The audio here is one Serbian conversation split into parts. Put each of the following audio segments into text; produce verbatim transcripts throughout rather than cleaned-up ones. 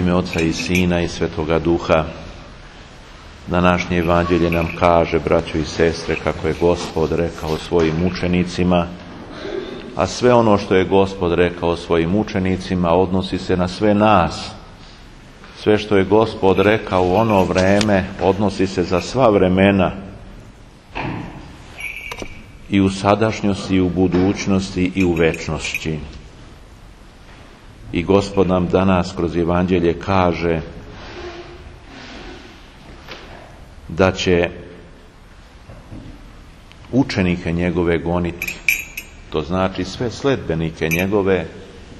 ime Oca i Sina i Svetoga Duha. Današnje evanđelje nam kaže, braćo i sestre, kako je Gospod rekao svojim učenicima, a sve ono što je Gospod rekao svojim učenicima odnosi se na sve nas. Sve što je Gospod rekao u ono vreme odnosi se za sva vremena, i u sadašnjosti, i u budućnosti, i u večnosti. I Gospod nam danas kroz evanđelje kaže da će učenike njegove goniti. To znači sve sledbenike njegove,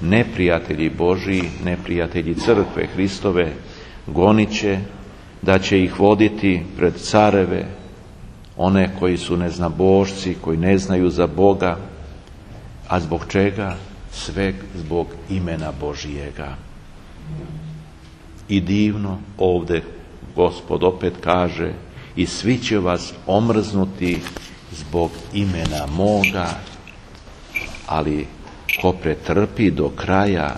neprijatelji Božji, neprijatelji crkve Hristove, gonit će, da će ih voditi pred careve, one koji su neznabošci, koji ne znaju za Boga. A zbog čega? Sve zbog imena Božijega. I divno ovdje Gospod opet kaže, i svi će vas omrznuti zbog imena moga, ali ko pretrpi do kraja,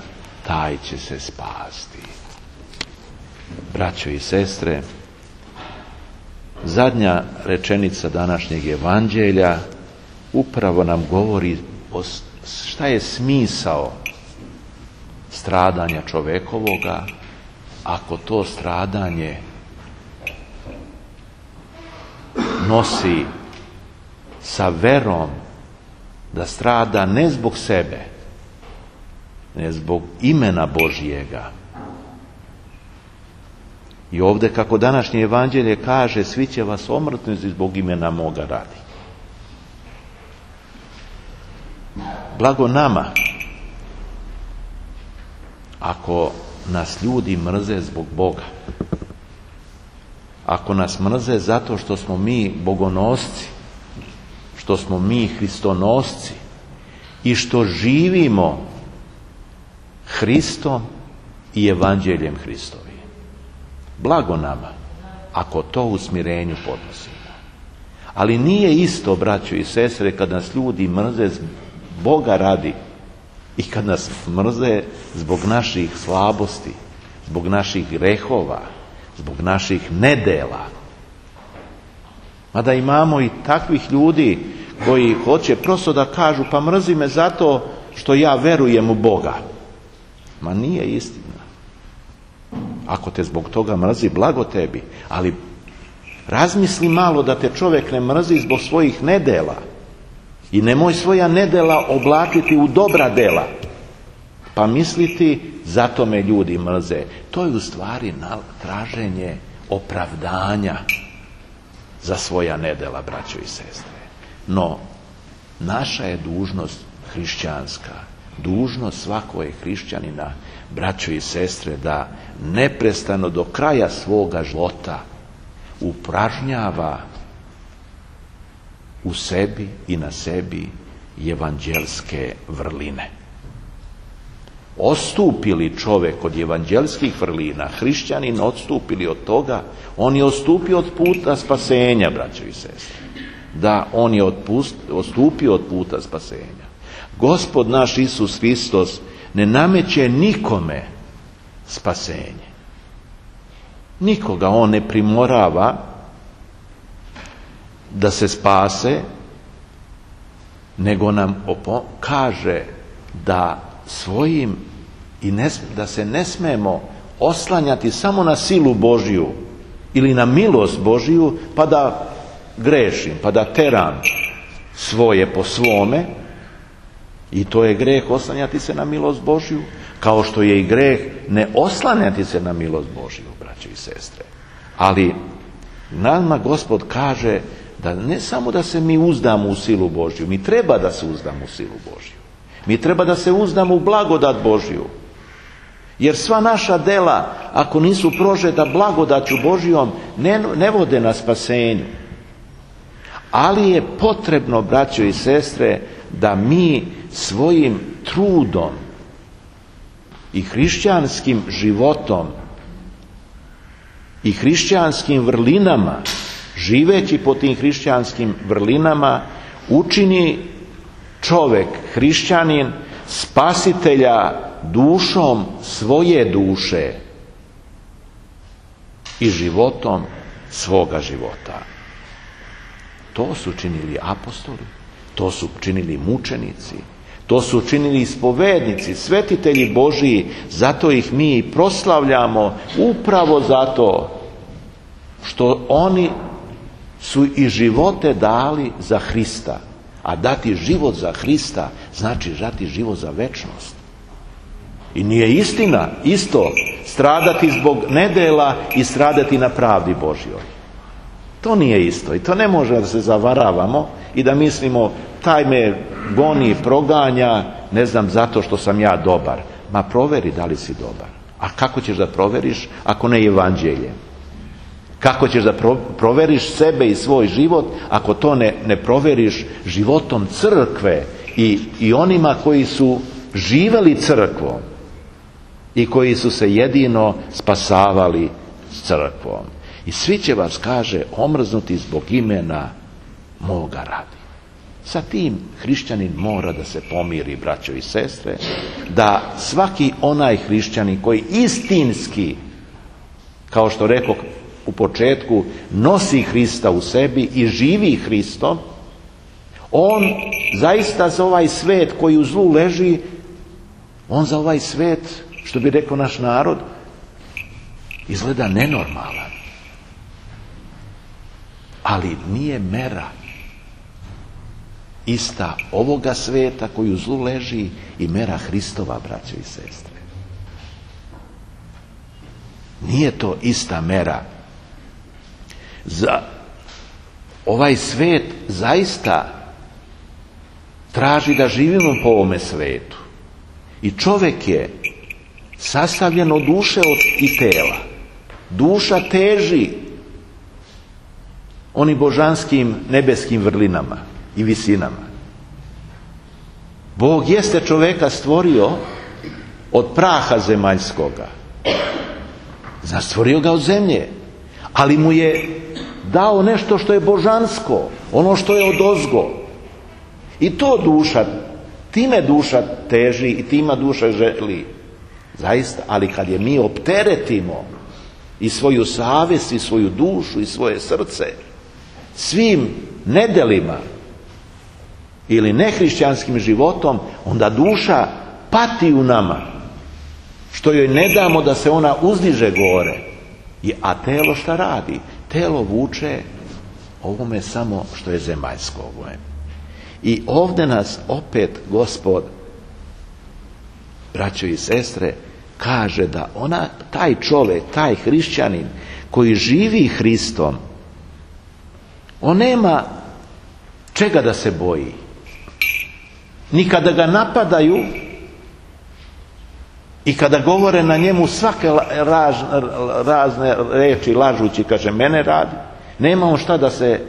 taj će se spasti. Braćo i sestre, zadnja rečenica današnjeg evanđelja upravo nam govori o šta je smisao stradanja čovekovoga, ako to stradanje nosi sa verom da strada ne zbog sebe, ne zbog imena Božijega. I ovdje, kako današnje evanđelje kaže, svi će vas omrtnuti zbog imena moga radi. Blago nama ako nas ljudi mrze zbog Boga, ako nas mrze zato što smo mi bogonosci, što smo mi hristonosci i što živimo Hristom i evanđeljem Hristovim. Blago nama ako to u smirenju podnosimo. Ali nije isto, braćo i sestre, kad nas ljudi mrze Boga radi i kad nas mrze zbog naših slabosti, zbog naših grehova, zbog naših nedela. Mada imamo i takvih ljudi koji hoće prosto da kažu, pa mrzi me zato što ja verujem u Boga. Ma nije istina. Ako te zbog toga mrzi, blago tebi, ali razmisli malo da te čovjek ne mrzi zbog svojih nedela. I nemoj svoja nedela oblatiti u dobra dela, pa misliti zato me ljudi mrze. To je u stvari traženje opravdanja za svoja nedela, braćo i sestre. No, naša je dužnost hrišćanska, dužnost svakog hrišćanina, braćo i sestre, da neprestano do kraja svoga života upražnjava u sebi i na sebi evanđelske vrline. Ostupili čovjek od evanđelskih vrlina, hrišćanin odstupili od toga, on je odstupio od puta spasenja, braćo i sestre. Da, on je odpust, odstupio od puta spasenja. Gospod naš Isus Hristos ne nameće nikome spasenje. Nikoga on ne primorava da se spase, nego nam opo- kaže da svojim i ne, da se ne smemo oslanjati samo na silu Božju ili na milost Božju, pa da grešim, pa da teram svoje po svome. I to je greh oslanjati se na milost Božju, kao što je i greh ne oslanjati se na milost Božju, braće i sestre. Ali nama Gospod kaže da ne samo da se mi uzdamo u silu Božju, mi treba da se uzdamo u silu Božju. Mi treba da se uzdamo u blagodat Božju. Jer sva naša dela, ako nisu prožeta blagodaću Božjom, ne, ne vode na spasenju. Ali je potrebno, braćo i sestre, da mi svojim trudom i hrišćanskim životom i hrišćanskim vrlinama, živeći po tim hrišćanskim vrlinama, učini čovjek, hrišćanin, spasitelja dušom svoje duše i životom svoga života. To su činili apostoli, to su činili mučenici, to su činili ispovednici, svetitelji Božiji, zato ih mi proslavljamo upravo zato što oni su i živote dali za Hrista. A dati život za Hrista znači dati život za večnost. I nije istina isto stradati zbog nedela i stradati na pravdi Božjoj. To nije isto i to ne može da se zavaravamo i da mislimo taj me goni, proganja, ne znam, zato što sam ja dobar. Ma proveri da li si dobar. A kako ćeš da proveriš ako ne evanđeljem? Kako ćeš da proveriš sebe i svoj život ako to ne, ne proveriš životom crkve i, i onima koji su živeli crkvom i koji su se jedino spasavali s crkvom. I svi će vas, kaže, omrznuti zbog imena moga radi. Sa tim hrišćanin mora da se pomiri, braćo i sestre, da svaki onaj hrišćanin koji istinski, kao što rekao u početku, nosi Hrista u sebi i živi Hristom, on zaista za ovaj svet koji u zlu leži, on za ovaj svet, što bi rekao naš narod, izgleda nenormalan. Ali nije mera ista ovoga sveta koji u zlu leži i mera Hristova, braćo i sestre. Nije to ista mera. Za ovaj svet zaista traži da živimo po ovome svetu. I čovjek je sastavljen od duše i tela. Duša teži onim božanskim nebeskim vrlinama i visinama. Bog jeste čovjeka stvorio od praha zemaljskoga. Znači, stvorio ga od zemlje. Ali mu je dao nešto što je božansko, ono što je odozgo. I to duša, time duša teži i tima duša želi. Zaista, ali kad je mi opteretimo i svoju savjest i svoju dušu i svoje srce svim nedelima ili nehrišćanskim životom, onda duša pati u nama, što joj ne damo da se ona uzdiže gore. A telo šta radi? Telo vuče ovome samo što je zemaljsko. I ovdje nas opet Gospod, braćo i sestre, kaže da ona, taj čovjek, taj hrišćanin koji živi Hristom, on nema čega da se boji. Ni kada ga napadaju i kada govore na njemu svake raž, razne reči lažući, kaže mene radi, nema on šta da se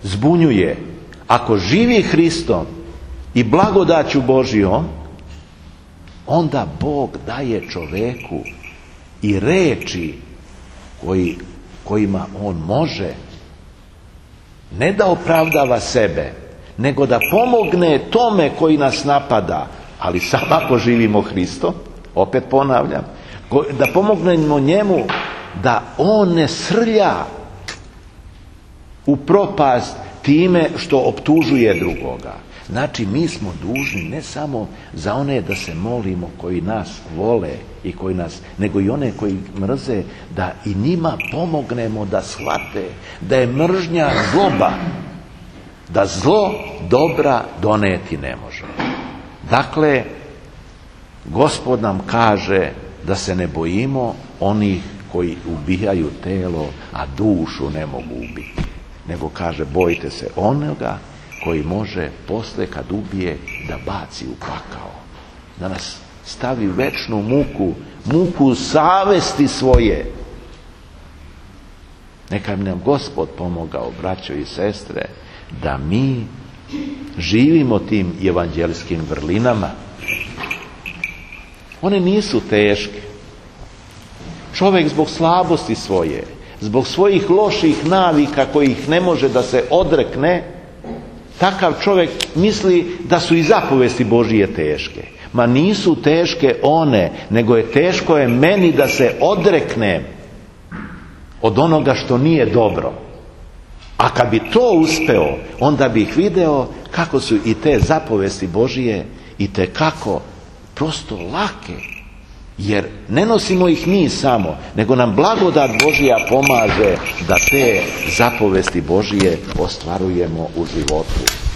zbunjuje. Ako živi Hristom i blagodaću Božjom, onda Bog daje čoveku i reči koji, kojima on može ne da opravdava sebe, nego da pomogne tome koji nas napada, ali samo ako živimo Hristom, opet ponavljam, da pomognemo njemu da on ne srlja u propast time što optužuje drugoga. Znači, mi smo dužni ne samo za one da se molimo koji nas vole i koji nas, nego i one koji mrze, da i njima pomognemo da shvate da je mržnja zloba, da zlo dobra doneti ne može. Dakle, Gospod nam kaže da se ne bojimo onih koji ubijaju telo, a dušu ne mogu ubiti. Nego kaže, bojite se onoga koji može posle kad ubije da baci u pakao. Da nas stavi u večnu muku, muku savesti svoje. Neka bi nam Gospod pomogao, braćo i sestre, da mi živimo tim evanđelskim vrlinama. One nisu teške. Čovjek zbog slabosti svoje, zbog svojih loših navika kojih ne može da se odrekne, takav čovjek misli da su i zapovesti Božije teške. Ma nisu teške one, nego je teško je meni da se odreknem od onoga što nije dobro. A kad bi to uspeo, onda bih video kako su i te zapovesti Božije i te kako prosto lake. Jer ne nosimo ih mi samo, nego nam blagodat Božija pomaže da te zapovesti Božije ostvarujemo u životu.